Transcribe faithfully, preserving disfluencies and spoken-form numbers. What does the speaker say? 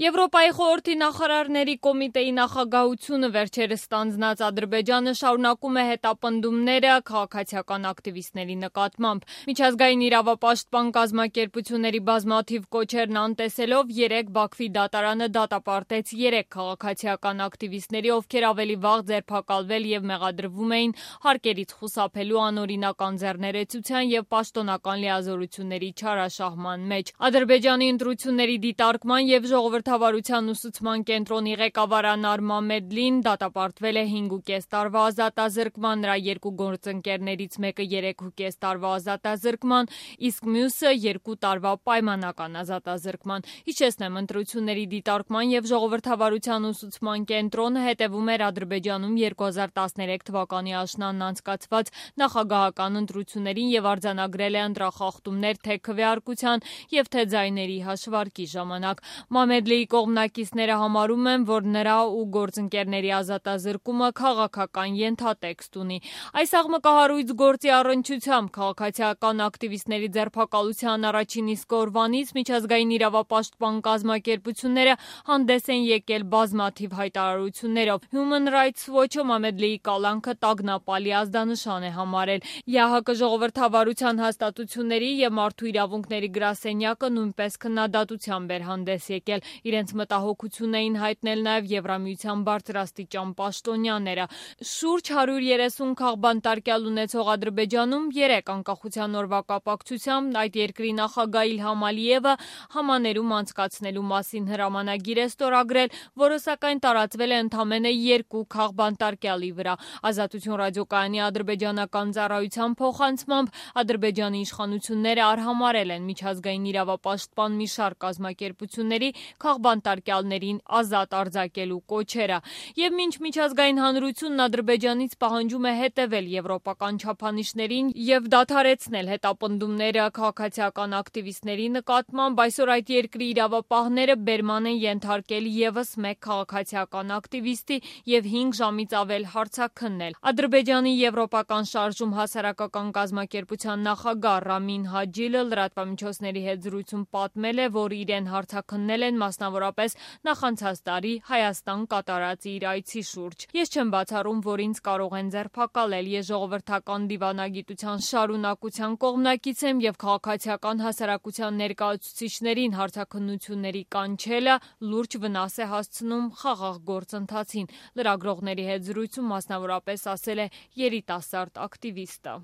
Եվրոպայի խորհրդի նախարարների կոմիտեի նախագահությունը վերջերս ստանձնած Ադրբեջանը շարունակում է հետապնդումները քաղաքացիական ակտիվիստների նկատմամբ։ Միջազգային իրավապաշտպան կազմակերպությունների բազմաթիվ կոչերն անտեսելով երեկ Բաքվի դատարանը դատապարտեց երեք քաղաքացիական ակտիվիստների, ովքեր ավելի վաղ ձերբակալվել և մեղադրվում էին հարկերից խուսափելու անօրինակ անձեռներեցության և պաշտոնական լիազորությունների չարաշահման մեջ։ Ադրբեջանի ընտրությունների դիտարկման և ժողովրդավարության ուսուցման կենտրոնի ղեկավար Անար Մամեդլին դատապարտվել է հինգ ու կես տարվա ազատազրկման, նրա երկու գործընկերներից մեկը երեք ու կես տարվա ազատազրկման, իսկ մյուսը երկու տարվա պայմանական ազատազրկման։ Հիշեցնեմ, ընտրությունների դիտարկման և ժողովրդավարության ուսուցման կենտրոնը հետևում էր Ադրբեջանում երկու հազար տասներեք թվականի աշնանն անցկացված նախագահական ընտրություններին և արձանագրել է ընտրախախտումներ թե քվեարկության և թե ձայների հաշվարկի ժամանակ։ Մամեդլիի կողմնակիցները համարում են, որ նրա ու գործընկերների ազատազրկումը քաղաքական ենթատեքստ ունի։ Այս աղմկահարույց գործի առնչությամբ քաղաքացիական ակտիվիստների ձերբակալության առաջին իսկ օրվանից միջազգային իրավապաշտպան կազմակերպությունները հանդես են եկել բազմաթիվ հայտարարություններով։ Human Rights Watch-ը Մամեդլիի կալանքը տագնապալի ազդանշան է համարել։ ԵԱՀԿ ժողովրդավարության հաստատությունների և մարդու իրավունքների գրասենյակը նույնպես քննադատությամբ էր հանդես եկել։ Իրենց մտահոգությունն էին հայտնել նաև Եվրամիության բարձրաստիճան պաշտոնյաները։ Շուրջ հարյուր երեսուն քաղբանտարկյալ ունեցող Ադրբեջանում երեկ անկախության օրվա կապակցությամբ այդ երկրի նախագահ Իլհամ Ալիևը համաներում անցկացնելու մասին հրամանագիր է ստորագրել, որը սակայն տարածվել է ընդամենը երկու քաղբանտարկյալի վրա։ Ազատություն ռադիոկայանի ադրբեջանական ծառայության փոխանցմամբ Ադրբեջանի իշխանությունները արհամարհել են միջազգային իրավապաշտպան մի շարք կազմակերպությունների քաղբանտարկյալներին ազատ արձակելու կոչերը։ Եվ մինչ միջազգային հանրությունն Ադրբեջանից պահանջում է հետևել եվրոպական չափանիշներին և դադարեցնել հետապնդումները քաղաքացիական ակտիվիստների նկատմամբ, այսօր այդ երկրի իրավապահները բերման են ենթարկել ևս մեկ քաղաքացիական ակտիվիստի և հինգ ժամից ավել հարցաքննել։ Ադրբեջանի Եվրոպական շարժում հասարակական կազմակերպության նախագահ Ռամին Հաջիլը լրատվամիջոցների հետ զրույցում պատմել է, որ իրեն հարցաքննել են մասնավորապես նախանցած տարի Հայաստան կատարած իր այցի շուրջ։ Ես չեմ բացառում, որ ինձ կարող են ձերբակալել։ Ես ժողովրդական դիվանագիտության շարունակության կողմնակից եմ և քաղաքացիական հասարակության ներկայացուցիչներին հարցաքննությունների կանչելը լուրջ վնաս է հասցնում խաղաղ գործընթացին, լրագրողների հետ զրույցում մասնավորապես ասել է երիտասարդ ակտիվիստը։